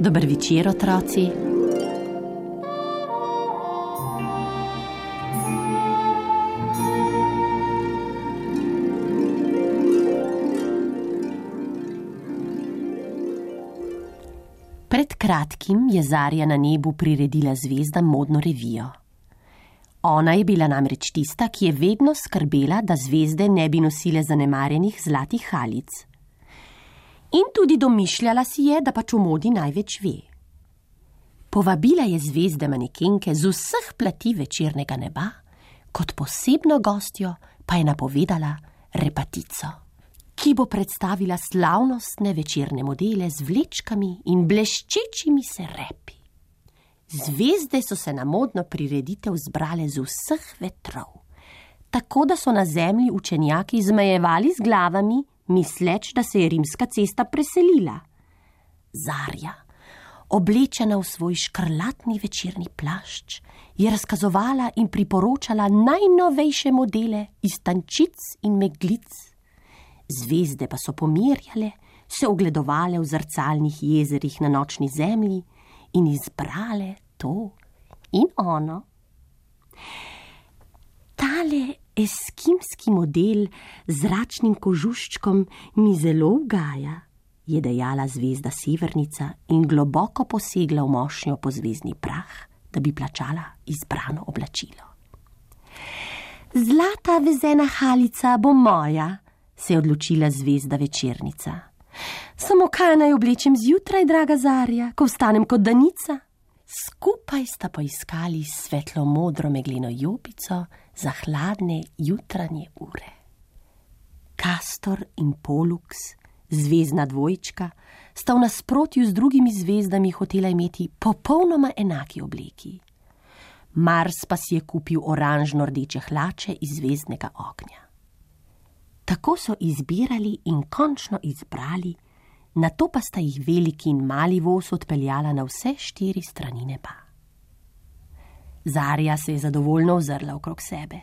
Dober večer, otroci. Pred kratkim je Zarja na nebu priredila zvezdam modno revijo. Ona je bila namreč tista, ki je vedno skrbela, da zvezde ne bi nosile zanemarjenih zlatih halic. In tudi domišljala si je, da pač o modi največ ve. Povabila je zvezde manekenke z vseh plati večernega neba, kot posebno gostjo pa je napovedala repatico, ki bo predstavila slavnostne večerne modele z vlečkami in bleščečimi se repi. Zvezde so se na modno prireditev zbrale z vseh vetrov, tako da so na zemlji učenjaki zmajevali z glavami, misleč, da se je rimska cesta preselila. Zarja, oblečena v svoj škrlatni večerni plašč, je razkazovala in priporočala najnovejše modele iz tančic in meglic. Zvezde pa so pomirjale, se ogledovale v zrcalnih jezerih na nočni zemlji in izbrale to in ono. Tale eskimski model z zračnim kožuščkom mi zelo ugaja, je dejala zvezda Severnica in globoko posegla v mošnjo po zvezdni prah, da bi plačala izbrano oblačilo. Zlata vezena halica bo moja, se je odločila zvezda Večernica. Samo kaj naj oblečem zjutraj, draga Zarja, ko vstanem kot danica? Skupaj sta poiskali svetlo modro megleno jopico za hladne jutranje ure. Kastor in Polux, zvezdna dvojčka, sta v nasprotju z drugimi zvezdami hotela imeti popolnoma enaki obleki. Mars pa si je kupil oranžno-rdeče hlače iz zvezdnega ognja. Tako so izbirali in končno izbrali, nato pa sta jih veliki in mali voz odpeljala na vse 4 strani neba. Zarja se je zadovoljno ozrla okrog sebe.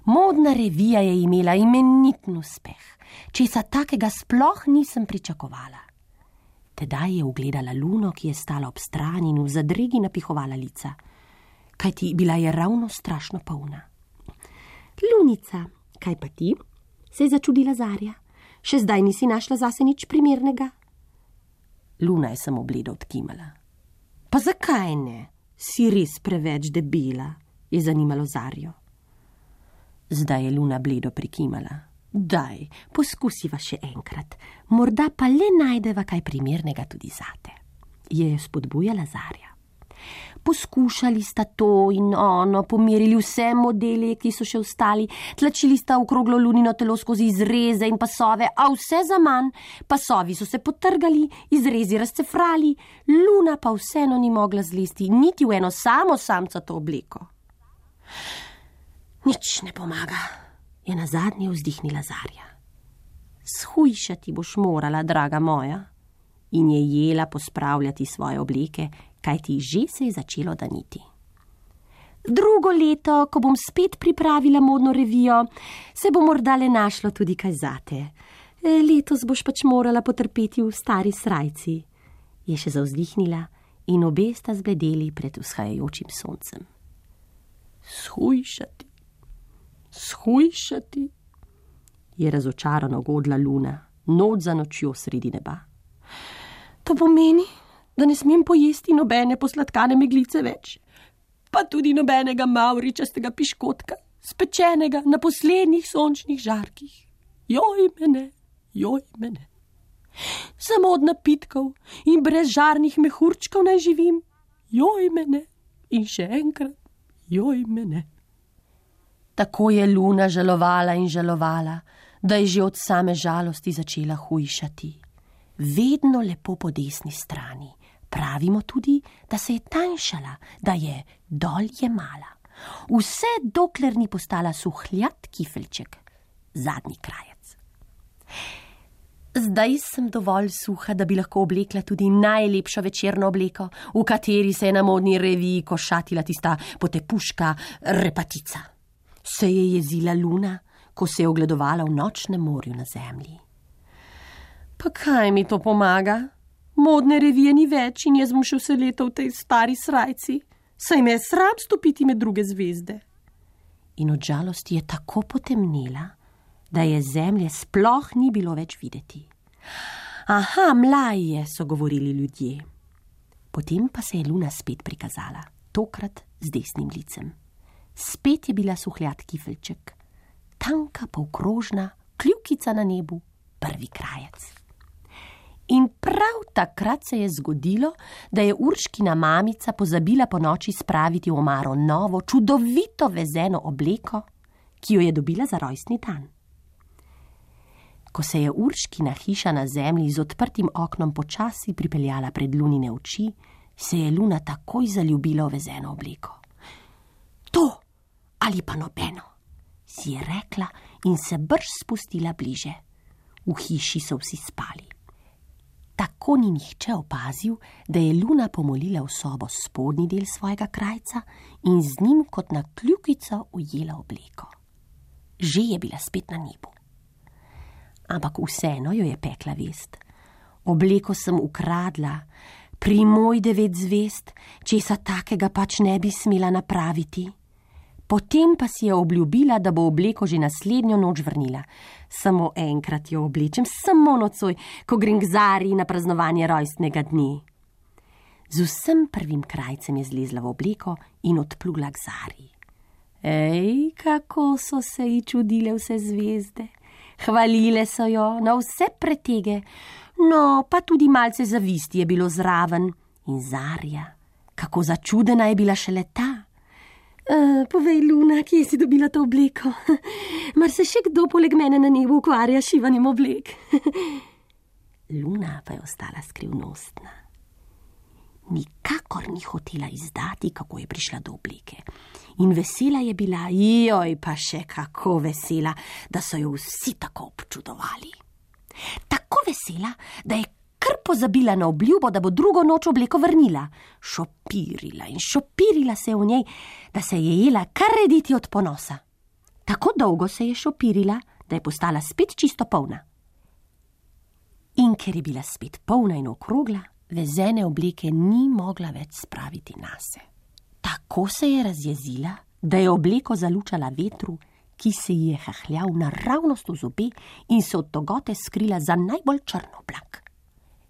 Modna revija je imela imeniten uspeh, česa takega sploh nisem pričakovala. Tedaj je ugledala Luno, ki je stala ob strani in v zadregi napihovala lica, kajti bila je ravno strašno polna. Lunica, kaj pa ti? Se je začudila Zarja. Še zdaj nisi našla zase nič primernega? Luna je samo bledo odkimala. Pa zakaj ne? Si res preveč debela, je zanimalo Zarjo. Zdaj je Luna bledo prikimala. Daj, poskusiva še enkrat, morda pa le najdeva kaj primernega tudi zate, je spodbujala Zarja. Poskušali sta to in ono, pomerili vse modele, ki so še ostali, tlačili sta okroglo Lunino telo skozi izreze in pasove, a vse zaman, pasovi so se potrgali, izrezi razcefrali, Luna pa vseeno ni mogla zlesti niti v eno samo samcato obleko. Nič ne pomaga, je nazadnje vzdihnila Zarja. Shujšati boš morala, draga moja, in je jela pospravljati svoje obleke, kajti že se je začelo daniti. Drugo leto, ko bom spet pripravila modno revijo, se bo morda le našlo tudi kaj zate. Letos boš pač morala potrpeti v stari srajci, je še zavzdihnila in obe sta zbledeli pred vzhajajočim soncem. Shujšati, je razočarano godla Luna, noč za nočjo sredi neba. To pomeni, da ne smem pojesti nobene posladkane meglice več, pa tudi nobenega mavričastega piškotka, spečenega na poslednjih sončnih žarkih. Joj mene. Samo od napitkov in brez žarnih mehurčkov naj živim. Joj mene in še enkrat, joj mene. Tako je Luna žalovala in žalovala, da je že od same žalosti začela hujšati. Vedno lepo po desni strani, Pravimo tudi, da se je tanjšala, da je dol jemala. Vse dokler ni postala suhljat kifelček, zadnji krajec. Zdaj sem dovolj suha, da bi lahko oblekla tudi najlepšo večerno obleko, v kateri se je na modni reviji košatila tista potepuška repatica. Se je jezila Luna, ko se je ogledovala v nočnem morju na zemlji. Pa kaj mi to pomaga? Modne revije ni več in jaz bom še vse leto v tej stari srajci, saj me je sram stopiti med druge zvezde. In od žalosti je tako potemnela, da je zemlje sploh ni bilo več videti. Aha, mlaj je, so govorili ljudje. Potem pa se je Luna spet prikazala, tokrat z desnim licem. Spet je bila suhljat kifelček, tanka polkrožna, kljukica na nebu, prvi krajec. In prav takrat se je zgodilo, da je Urškina mamica pozabila ponoči spraviti v omaro novo, čudovito vezeno obleko, ki jo je dobila za rojstni dan. Ko se je Urškina hiša na zemlji z odprtim oknom počasi pripeljala pred Lunine oči, se je Luna takoj zaljubila v vezeno obleko. To ali pa nobeno, si je rekla in se brž spustila bliže. V hiši so vsi spali. Tako ni nihče opazil, da je Luna pomolila v sobo spodnji del svojega krajca in z njim kot na kljukico ujela obleko. Že je bila spet na nebu. Ampak vseeno jo je pekla vest. Obleko sem ukradla, pri moj 9 zvezd, česa takega pač ne bi smela napraviti. Potem pa si je obljubila, da bo obleko že naslednjo noč vrnila. Samo enkrat jo oblečem, samo nocoj, ko grem k Zari na praznovanje rojstnega dne. Z vsem prvim krajcem je zlezla v obleko in odplula k Zari. Ej, kako so se ji čudile vse zvezde. Hvalile so jo na vse pretege, no, pa tudi malce zavisti je bilo zraven. In Zarja, kako začudena je bila šele ta. Povej, Luna, kje si dobila to obleko? Mar se še kdo poleg mene na nebu ukvarja s šivanjem oblek? Luna pa je ostala skrivnostna. Nikakor ni hotela izdati, kako je prišla do obleke. In vesela je bila, joj, pa še kako vesela, da so jo vsi tako občudovali. Tako vesela, da je kar pozabila na obljubo, da bo drugo noč obleko vrnila. Šopirila in šopirila se v njej, da se je jela kar rediti od ponosa. Tako dolgo se je šopirila, da je postala spet čisto polna. In ker je bila spet polna in okrogla, vezene obleke ni mogla več spraviti nase. Tako se je razjezila, da je obleko zalučala vetru, ki se ji je hahljal naravnost v zobe in se od togote skrila za najbolj črn oblak.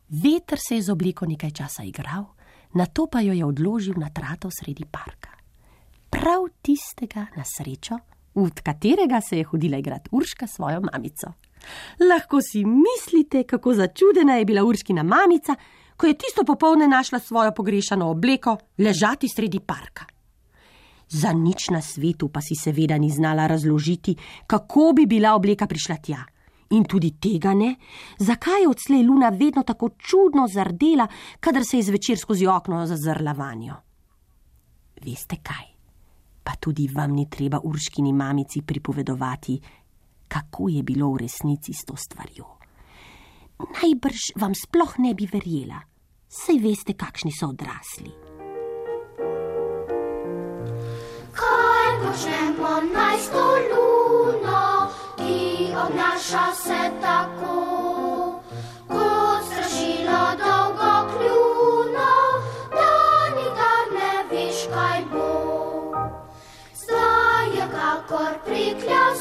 Veter se je z obleko nekaj časa igral, nato pa jo je odložil na trato sredi parka. Prav tistega na srečo, v katerega se je hodila igrat Urška s svojo mamico. Lahko si mislite, kako začudena je bila Urškina mamica, ko je tisto popoldne našla svojo pogrešano obleko ležati sredi parka. Za nič na svetu pa si seveda ni znala razložiti, kako bi bila obleka prišla tja. In tudi tega ne, zakaj je odslej Luna vedno tako čudno zardela, kadar se je zvečer skozi okno zazrla vanjo. Veste kaj, pa tudi vam ni treba Urškini mamici pripovedovati, kako je bilo v resnici s to stvarjo. Najbrž vam sploh ne bi verjela, saj veste, kakšni so odrasli. Kaj počnemo naj s to Luno, ki obnaša se tako, kot strašilo dolgo kljuno, da nikdar ne veš, kaj bo. Zdaj je kakor prikljal